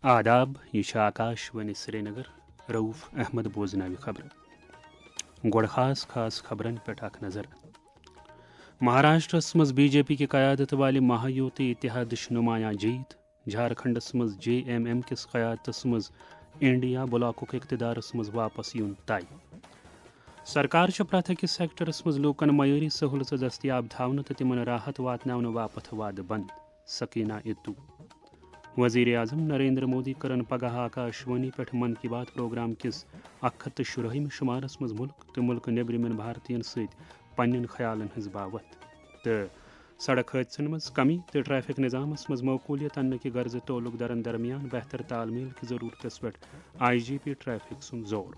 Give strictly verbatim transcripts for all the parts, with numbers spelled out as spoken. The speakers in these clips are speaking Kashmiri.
آداب، یہِ چھِ آکاش وانی سرینگر۔ رؤف احمد بوزناوِ خبرٕ۔ گۄڈٕ خاص خاص خبرن پٮ۪ٹھ اکھ نظر۔ مہاراشٹرس منٛز بی جے پی کہِ قیادت والہِ مہایوتی اتحادٕچ نمایاں جیت۔ جھارکھنڈس منٛز جے ایم ایم کِس قیادتس منٛز انڈیا بلاکُک اقتدارس منٛز واپس یُن طے۔ سرکار چھِ پرٛٮ۪تھ أکِس سیکٹرس منٛز لوٗکن معیٲری سہوٗلژٕ دٔستیاب تھاونہٕ تہٕ تِمن راحت واتناونہٕ باپتھ وعدٕ بنٛد۔ سکینہ اتو۔ وزیر اعظم نریندر مودی کٔرٕن پگاہ آکاش وانی پٮ۪ٹھ من کی بات پروگرام کِس اکھ ہتھ تہٕ شُراہمہِ شُمارس منٛز مُلک تہٕ مُلکہٕ نیٚبرِمٮ۪ن بھارتین سۭتۍ پننٮ۪ن خیالن ہٕنٛز باوتھ۔ تہٕ سڑک حٲدثن منٛز کمی تہٕ ٹریفک نظامس منٛز معقولیت اننہٕ کہِ غرضہٕ تعلق دارن درمیان بہتر تال میل کہِ ضرورتس پٮ۪ٹھ آئی جی پی ٹریفک سُنٛد زور۔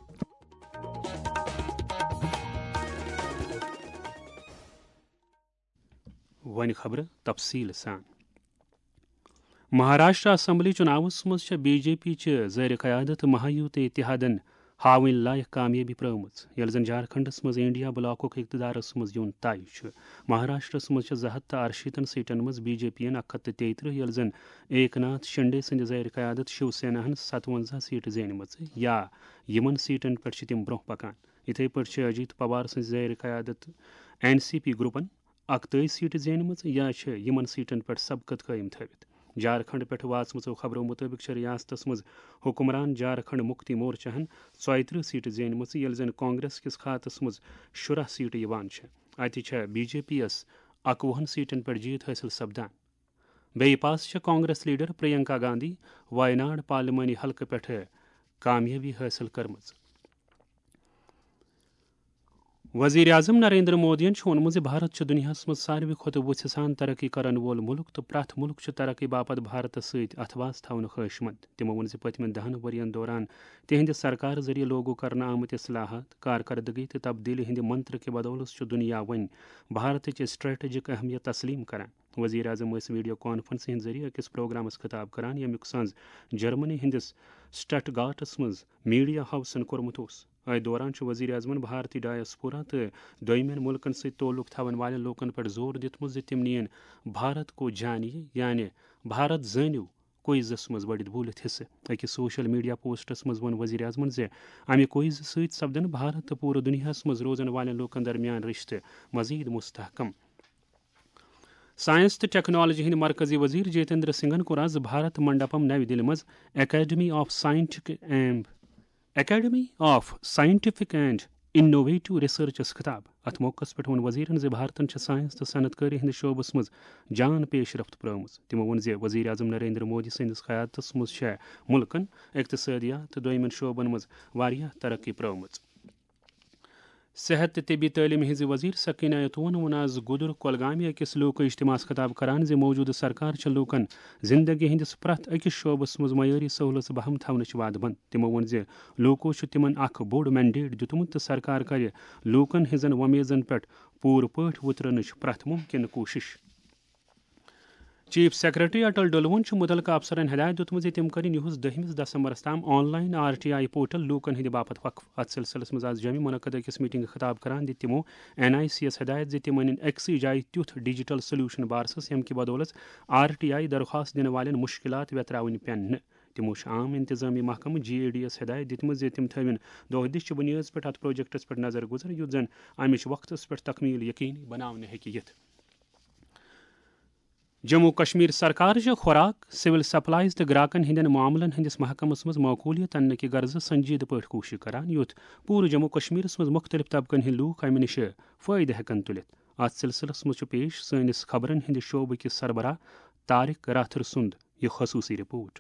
وۄنۍ خبرٕ تفصیٖل سان۔ مہاراشٹرا اسمبلی چُناوس منٛز چھےٚ بی جے پی چہِ زیر قیادت مہایوت اتحادن ہاوٕنۍ لایق کامیٲبی پرٲومٕژ، ییٚلہِ زن جھارکھنڈس منٛز انڈیا بلاکُک اقتدارس منٛز یُن طے چھُ۔ مہاراشٹرس منٛز چھِ زٕ ہتھ تہٕ ارشیٖتن سیٹن منٛز بی جے پی ین اکھ ہتھ تہٕ تیٚیہِ ترٕٛہ، ییٚلہِ زن ایک ناتھ شنڈے سٕنٛدِ زیر قیادت شیو سیناہن ستونزہ سیٹہٕ زینِمژٕ، یا یِمن سیٹن پٮ۪ٹھ چھِ تِم برونٛہہ پکان۔ یِتھے پٲٹھۍ چھِ اجیت پوار سٕنٛزِ زیر قیادت این سی پی گروپن اکتٲجی سیٹہٕ زینِمٕژ، یا چھِ یِمن سیٹن پٮ۪ٹھ سبقت قٲیِم تھٲوِتھ۔ جھارکھنڈ پٮ۪ٹھ واتمٕژو خبرو مُطٲبِق چھِ ریاستس منٛز حکمران جھارکھنڈ مُکتی مورچاہن ژۄیہِ ترٕٛہ سیٹہٕ زینِمژٕ، ییٚلہِ زن کانگریس کِس خاتس منٛز شُراہ سیٹہٕ یِوان چھِ۔ اتہِ چھےٚ بی جے پی یَس اکوُہن سیٹن پٮ۪ٹھ جیت حٲصِل سپدان۔ بیٚیہِ پاس چھےٚ کانگریس لیڈر پرینکا گاندھی وائناڈ پارلیمانی حلقہٕ پٮ۪ٹھٕ کامیٲبی حٲصِل کٔرمٕژ۔ وزیر اعظم نریندر مودیَن چھُ ووٚنمُت زِ بھارت چھُ دُنیاہَس منٛز ساروی کھۄتہٕ وُژھِ سان ترقی کرن وول مُلک تہٕ پرٛٮ۪تھ مُلک چھُ ترقی باپتھ بھارتس سۭتۍ اتھہٕ واس تھاونہٕ خٲہِشمند۔ تِمو ووٚن زِ پٔتمٮ۪ن دَہَن ؤرۍ یَن دوران تِہنٛدِ سرکار ذٔریعہٕ لاگو کرنہٕ آمٕتۍ اصلاحات، کارکردگی تہٕ تبدیلی ہٕنٛدِ منتر کہِ بدولہٕ چھُ دُنیا وۄنۍ بھارتٕچ اسٹریٹجک اہمیت تسلیم کران۔ وزیر اعظم ٲسۍ ویڈیو کانفرنسہِ ہٕنٛدِ ذٔریعہٕ أکِس پروگرامس خطاب کران، ییٚمیُک سنز جرمنی ہٕنٛدِس سٹٹ گارٹس منٛز میڈیا ہاوسن کوٚرمُت اوس۔ أتھۍ دوران چھُ وزیر اعظمن بھارتی ڈایاسپورا تہٕ دوٚیمٮ۪ن مُلکن سۭتۍ تعلق تھاون والٮ۪ن لوٗکن پٮ۪ٹھ زور دیُتمُت زِ تِم نِیِن بھارت کو جانیے، یعنی بھارت زٲنِو، کوئزس منٛز بٔڑِتھ بوٗلِتھ حصہٕ۔ أکِس سوشل میڈیا پوسٹس منٛز ووٚن وزیر اعظمن زِ امہِ کوئزٕ سۭتۍ سپدن بھارت تہٕ پوٗرٕ دُنیاہس منٛز روزن والٮ۪ن لوٗکن درمیان رشتہٕ مزید مستحکم۔ ساینس تہٕ ٹیکنالوجی ہٕنٛدۍ مرکزی وزیر جتیندر سنگھن کوٚر از بھارت منڈپم نَوِ دِلہِ منٛز academy of scientific and, academy of scientific and innovative ریسرچس خطاب۔ اتھ موقعس پٮ۪ٹھ ووٚن وزیرن زِ بھارتن چھِ ساینس تہٕ صنعت کٲری ہٕنٛدِس شعبس منٛز جان پیش رفت پرٲومٕژ۔ تِمو ووٚن زِ وزیر اعظم نریندر مودی سٕنٛدِس قیادتس منٛز چھےٚ مُلکن اقتصٲدیات تہٕ دوٚیمٮ۪ن شعبن منٛز واریاہ ترقی پرٲومٕژ۔ صحت تہٕ طبی تعلیٖم ہٕنٛزِ وزیر سکینہ اتوون ووٚن از گُدُر کۄلگامہِ أکِس لوٗکہٕ اجتماعس خطاب کران زِ موجودٕ سرکار چھِ لوٗکن زندگی ہٕنٛدِس پرٛٮ۪تھ أکِس شعبس منٛز معیٲری سہوٗلژٕ بہم تھاونٕچ وعدٕ بنٛد۔ تِمو ووٚن زِ لوٗکو چھُ تِمن اکھ بوٚڑ مینڈیٹ دیُتمُت تہٕ سرکار کرِ لوٗکن ہٕنٛزن وۄمیزن پٮ۪ٹھ پوٗرٕ پٲٹھۍ وُترنٕچ پرٛٮ۪تھ مُمکِنہٕ کوٗشش۔ چیف سیکرٹری اٹل ڈلوُن چھُ مُتعلقہٕ افسرن ہدایت دِیُتمُت زِ تِم کٔرِن یِہُس دٔہمِس دسمبرس تام online R T I portal لوٗکن ہٕنٛدِ باپتھ وقف۔ اتھ سلسلس منٛز آز جوٚمہِ منعقد أکِس میٹنگہِ خطاب کران دِتۍ تِمو این آئی سی یَس ہدایت زِ تِم أنِن أکسٕے جایہِ تیُتھ ڈیجیٹل سولوشن بارسس، ییٚمہِ کہِ بدولس آر ٹی آئی درخواست دِنہٕ والٮ۪ن مُشکِلات ویتراوٕنۍ پٮ۪ن نہٕ۔ تِمو چھُ عام انتظامی محکمہٕ جے ای ڈی یَس ہدایت دِژمٕژ زِ تِم تھٲوِن دۄہ دِش چہِ بُنیٲدس پٮ۪ٹھ اتھ پروجیکٹس پٮ۪ٹھ نظر گُزر، یُتھ زن امِچ وقتس پٮ۪ٹھ تکمیل یقینی بناونہٕ ہیٚکہِ یِتھ۔ جموں کشمیر سرکار چھِ خوراک، سول سپلائز تہٕ گراکن ہٕنٛدٮ۪ن معاملن ہٕنٛدِس محکمس منٛز معقولیت اننہٕ کہِ غرضہٕ سنجیدٕ پٲٹھۍ کوٗشش کران، یُتھ پوٗرٕ جموں کشمیرس منٛز مُختٔلِف طبقن ہٕنٛدۍ لوٗکھ امہِ نِش فٲیدٕ ہٮ۪کن تُلِتھ۔ اتھ سلسلس منٛز چھُ پیش سٲنِس خبرن ہٕنٛدِ شعبہٕ کِس سربراہ طارق راتھر سُنٛد یہِ خصوٗصی رپورٹ۔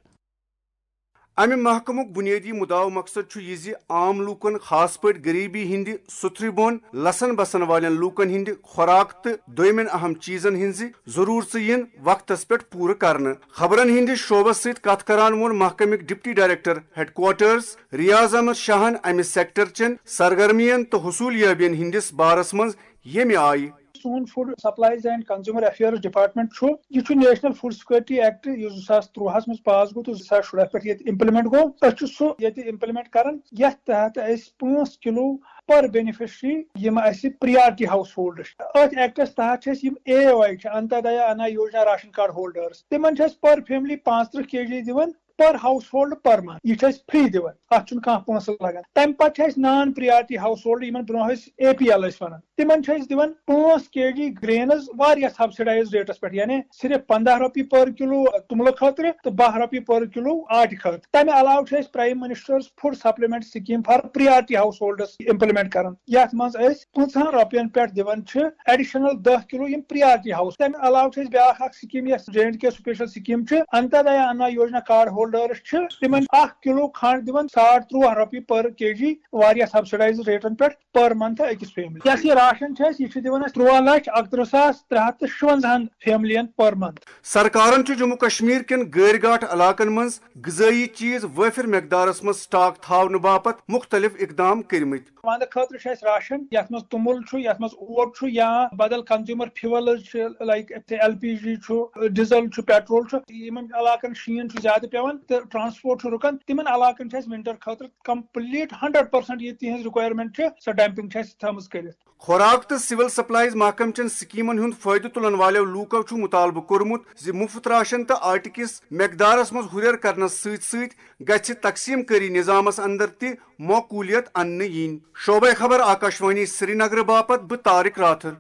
امہِ محکمُک بُنیٲدی مُدعا و مقصد چھُ یہِ زِ عام لوٗکن، خاص پٲٹھۍ غریبی ہٕنٛدِ سُتھرِ بۄن لژھن بسن والٮ۪ن لوٗکن ہٕنٛدِ خوراک تہٕ دوٚیمٮ۪ن اہم چیٖزن ہٕنٛزِ ضروٗرژٕ یِن وقتس پٮ۪ٹھ پوٗرٕ کرنہٕ۔ خبرن ہٕنٛدِس شعبس سۭتۍ کتھ کران ووٚن محکمٕکۍ deputy director headquarters Riyaz Ahmad شاہن امہِ سیکٹر چٮ۪ن سرگرمین تہٕ حصوٗل یٲبین ہٕنٛدِس بارس منٛز، ییٚمہِ آیہِ سون food supplies and consumer affairs department چھُ، یہِ چھُ نیشنل فوڈ سیکورٹی ایکٹ، یُس زٕ ساس تُرٛواہس منٛز پاس گوٚو تہٕ زٕ ساس شُراہ پٮ۪ٹھ ییٚتہِ امپلیمنٹ گوٚو۔ أسۍ چھِ سُہ ییٚتہِ امپلیمنٹ کران، یتھ تحت أسۍ پانٛژھ کِلو پر بینیفیشری، یِم اسہِ پریارٹی ہاؤس ہولڈر چھِ، أتھۍ ایکٹس تحت چھِ أسۍ یِم اے او آئی چھِ، انتودایا انا یوجنا راشن کارڈ ہولڈرز، تِمن چھِ أسۍ پر فیملی پانٛژترٕٛہ کے جی دِوان۔ per household per month. یہِ چھِ أسۍ free دِوان، اَتھ چھُنہٕ کانٛہہ پونٛسہٕ لگان۔ تَمہِ پتہٕ چھِ اَسہِ non priority household، یِمن برونٛہہ ٲسۍ A P L ٲسۍ وَنان، تِمن چھِ أسۍ دِوان پانٛژھ K G grains واریاہ subsidized rateس پٮ۪ٹھ، یعنی صرف پنٛداہ رۄپیہِ per کِلوٗ توٚملہٕ خٲطرٕ تہٕ باہ رۄپیہِ per کِلوٗ آٹہِ خٲطرٕ۔ تَمہِ علاوٕ چھِ أسۍ Prime Minister's Food Supplement Scheme for priority households implement کران، یَتھ منٛز أسۍ پٕنٛژٕہَن رۄپیَن پٮ۪ٹھ دِوان چھِ additional دَہ کِلوٗ یِم priority house۔ تَمہِ علاوٕ چھِ أسۍ بیٛاکھ اکھ scheme، یۄس J and K special scheme چھِ، Antodaya Anna Yojana card holders چھِ تِمن اکھ کِلوٗ کھنٛڈ دِوان ساڑ تُرٛواہ رۄپیہِ per K G واریاہ subsidized rateن پٮ۪ٹھ per month أکِس family۔ یۄس یہِ راشن چھِ اَسہِ، یہِ چھِ دِوان اَسہِ تُرٛواہ لَچھ اَکتٕرٛہ ساس ترٛےٚ ہَتھ تہٕ شُوَنزاہَن familyَن per month۔ سرکارن چھُ جموں کشمیر کٮ۪ن غٲرۍ گاٹھ علاقن منٛز غذٲیی چیز وٲفر مقدارس منٛز stock تھاونہٕ باپتھ مُختٔلِف اقدام کٔرمٕتۍ۔ وَندٕ خٲطرٕ چھُ اَسہِ راشن، یَتھ منٛز توٚمُل چھُ، یَتھ منٛز اوٹ چھُ، یا بدل consumer fuels چھِ، like L P G چھُ، diesel چھُ، petrol چھُ۔ یِمن علاقن شیٖن چھُ زیادٕ پٮ۪وان تہٕ transport چھُ رُکان، تِمن علاقن چھِ اَسہِ winter خٲطرٕ complete hundred percent یہِ تِہنٛز requirement چھِ، سۄ dumping چھِ اَسہِ تھٲومٕژ کٔرِتھ۔ خوراک تہٕ civil supplies محکمہٕ چٮ۪ن سکیمن ہُنٛد فٲیدٕ تُلن والٮ۪و لوٗکو چھُ مُطالبہٕ کوٚرمُت زِ مُفت راشن تہٕ آٹہِ کِس مقدارس منٛز ہُرٮ۪ر کرنس سۭتۍ سۭتۍ گژھِ تقسیٖم کٲری نظامس اندر تہِ معقولیت اننہٕ یِنۍ۔ شعبہ خبر، آکاشوانی سرینگر باپتھ بہٕ طارق راتھر۔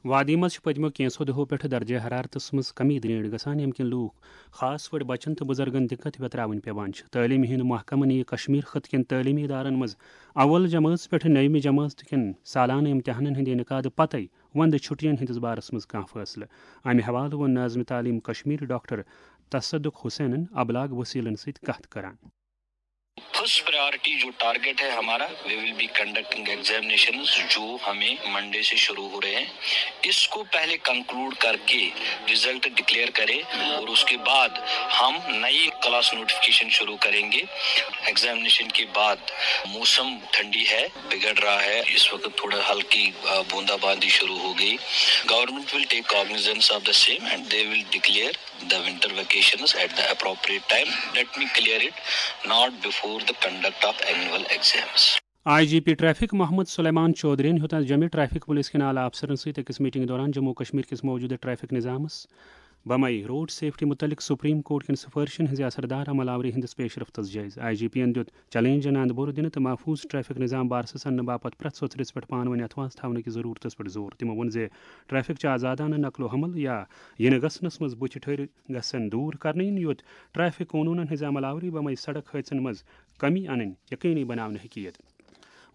وادی منٛز چھِ پٔتمیو کینٛژھو دۄہو پٮ۪ٹھٕ درجہ حرارتس منٛز کمی درینڈ گژھان، ییٚمہِ کِنۍ لوٗکھ خاص پٲٹھۍ بچن تہٕ بُزرگن دِقت ویتراوٕنۍ پٮ۪وان چھِ۔ تعلیٖم ہٕنٛدۍ محکمہٕ نِیہِ کشمیر خطہٕ کٮ۪ن تعلیٖمی ادارن منٛز اول جمٲژ پٮ۪ٹھٕ نٔیمہِ جمٲژ کٮ۪ن سالانہٕ امتحانن ہٕنٛدِ انعقادٕ پتَے وندٕ چھُٹین ہٕنٛدِس بارس منٛز کانٛہہ فٲصلہٕ۔ امہِ حوالہٕ ووٚن ناظم تعلیٖم کشمیر ڈاکٹر تصدق حسینن ابلاغ وسیلن سۭتۍ کتھ کران۔ First priority جو target ہے ہمارا, we will be conducting examinations جو ہمیں منڈے سے شروع ہو رہے ہیں, اس کو پہلے کنکلوڈ کر کے رزلٹ ڈکلیئر کرے اور اس کے بعد ہم نئی کلاس نوٹیفکیشن شروع کریں گے. ایگزامینیشن کے بعد موسم ٹھنڈی ہے, بگڑ رہا ہے, اس وقت تھوڑا ہلکی بوندا باندی شروع ہو گئی. Government will take cognizance of the same and they will declare the winter vacations at the appropriate time. Let me clear it, not before the conduct of annual exams. I G P traffic Mohammad Suleman چودھرین ہیوٚت آز جوٚمہِ ٹریفک پولیس کٮ۪ن اعلیٰ افسرن سۭتۍ أکِس میٹنگ دوران جموں کشمیر کِس موجودٕ ٹریفک نظامس بمے روڈ سیفٹی متعلق سپریم کورٹ کٮ۪ن سفارشن ہٕنٛزِ اثردار عمل آوری ہٕنٛدِس پیش رفتس جٲیزٕ۔ آئی جی پی ین دیُت چیلنجن اندٕ بوٚر دِنہٕ تہٕ محفوظ ٹریفک نظام بارسس اننہٕ باپتھ پرٛٮ۪تھ سوٚژرِس پٮ۪ٹھ پانہٕ ؤنۍ اتھواس تھاونہٕ کہِ ضروٗرتس پٮ۪ٹھ زور۔ تِمو ووٚن زِ ٹریفک چھِ آزادانہٕ نقل و حمل یا یِنہٕ گژھنس منٛز بُتھِ ٹھٔہرِ گژھن دوٗر کرنہٕ یِنۍ، یوٚت ٹریفک قونوٗنن ہٕنٛزِ عمل آوری بمے سڑک حٲدثن منٛز کمی انٕنۍ یقینی بناونہٕ ہیٚکہِ یِتھ۔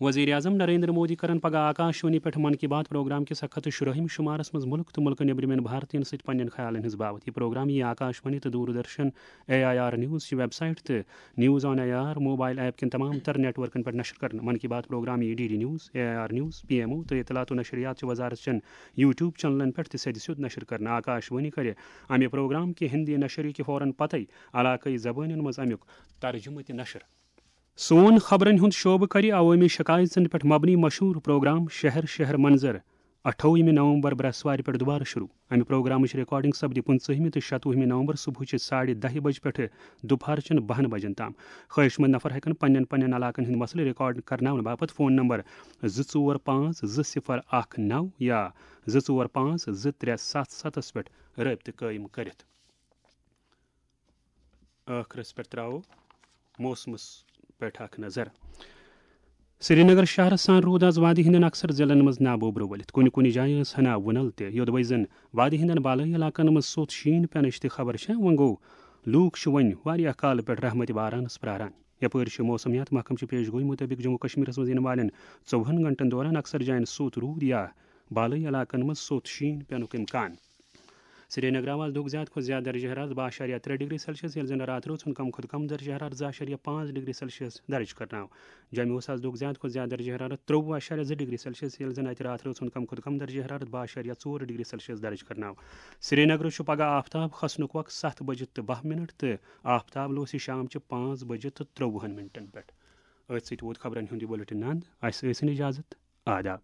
وزیر اعظم نریندر مودی کرن پگاہ آکاشوانی پٮ۪ٹھ من کی بات پروگرام کِس اکھ ہتھ تہٕ شُراہمہِ شُمارس منٛز مُلک تہٕ مُلکہٕ نیٚبرِمٮ۪ن بھارتین سۭتۍ پننٮ۪ن خیالن ہٕنٛز باوتھ۔ یہِ پروگرام یِیہِ آکاشوانی تہٕ Doordarshan, A I R news چہِ ویب سائٹ تہٕ news on A I R mobile app کٮ۪ن تمام تر نیٹ ورکن پٮ۪ٹھ نشر کرنہٕ۔ من کی بات پروگرام یِیہِ D D news, A I R news, P M O تہٕ اطلاعات و نشریات چہِ وزارت چٮ۪ن یوٹیوب چینلن پٮ۪ٹھ تہِ سیٚدِ سیوٚد نشر کرنہٕ۔ آکاشوانی کرِ امہِ پروگرام کہِ ہندی نشری کہِ فوراً پتے علاقٲیی زبٲنٮ۪ن منٛز امیُک ترجمہٕ تہِ نشر۔ سون خبرن ہُنٛد شعبہٕ کرِ عوٲمی شکایژن پٮ۪ٹھ مبنی مشہوٗر پروگرام شہر شہر منظر اَٹھووُہمہِ نومبر برٛٮ۪سوارِ پٮ۪ٹھ دُبارٕ شروع۔ امہِ پروگرامٕچ ریکارڈنگ سپدِ پٕنٛژٕہمہِ تہٕ شَتوُہمہِ نومبر صبحٕچہِ ساڑِ دَہہِ بجہِ پٮ۪ٹھٕ دُپہرچٮ۪ن بَہَن بجن تام۔ خٲہِش مند نفر ہٮ۪کن پننٮ۪ن پننٮ۪ن علاقن ہٕنٛدۍ مسلہٕ ریکارڈ کرناونہٕ باپتھ فون نمبر زٕ ژور پانٛژھ زٕ صفر اکھ نو یا زٕ ژور پانٛژھ زٕ ترٛےٚ ستھ ستس پٮ۪ٹھ رٲبطہٕ قٲیِم کٔرِتھ۔ ٲخرس پٮ۪ٹھ ترٛاوو موسمس پٮ۪ٹھ اکھ نظر۔ سرینگر شہرس سان روٗد آز وادی ہٕنٛدٮ۪ن اکثر ضلعن منٛز نابوبرٕ ؤلِتھ۔ کُنہِ کُنہِ جایہِ ٲس ہنا وُنل تہِ۔ یوٚدوَے زن وادی ہٕنٛدٮ۪ن بالٲیی علاقن منٛز سوٚت شیٖن پٮ۪نٕچ تہِ خبر چھےٚ، وۄنۍ گوٚو لوٗکھ چھِ وۄنۍ واریاہ کالہٕ پٮ۪ٹھ رحمتِ بارانس پراران۔ یپٲرۍ چھِ موسمیات محکمہٕ چہِ پیش گویی مُطٲبِق جموں کشمیرس منٛز یِنہٕ والٮ۪ن ژوٚوُہن گھنٹن دوران اکثر جاین سوٚت روٗد یا بالٲیی علاقن منٛز سوٚت شیٖن پٮ۪نُک امکان۔ سرینگر آو آز دۄہُک زیادٕ کھۄتہٕ زیادٕ درجہ حرارت باہ اَشاریہ ترٛےٚ ڈگری سیلسیس، ییٚلہِ زن راتھ رٲژ ہُنٛد کم کھۄتہٕ کم درجہ حرارت زٕ اَشاریہ پانٛژھ ڈگری سیلسیس درج کرنہٕ آو۔ جوٚمہِ اوس آز دۄہُک زیادٕ کھۄتہٕ زیادٕ درجہ حرارت ترٛۆوُہ اَشاریہ زٕ ڈگری سیلسیس، ییٚلہِ زن اتہِ راتھ رٲژ ہُنٛد کم کھۄتہٕ کم درجہ حرارت باہ اَشاریہ ژور ڈگری سیلسیس درج کرنہٕ آو۔ سرینگرٕ چھُ پگاہ آفتاب کھسنُک وقت ستھ بجہِ تہٕ باہ منٹ تہٕ آفتاب لوسہِ شام چہِ پانٛژھ بجہِ تہٕ ترٛۆوُہن منٹن پٮ۪ٹھ۔ أتھۍ سۭتۍ ووت خبرن ہُنٛد یہِ بُلٹن اند۔ اسہِ ٲسِن اجازت۔ آداب۔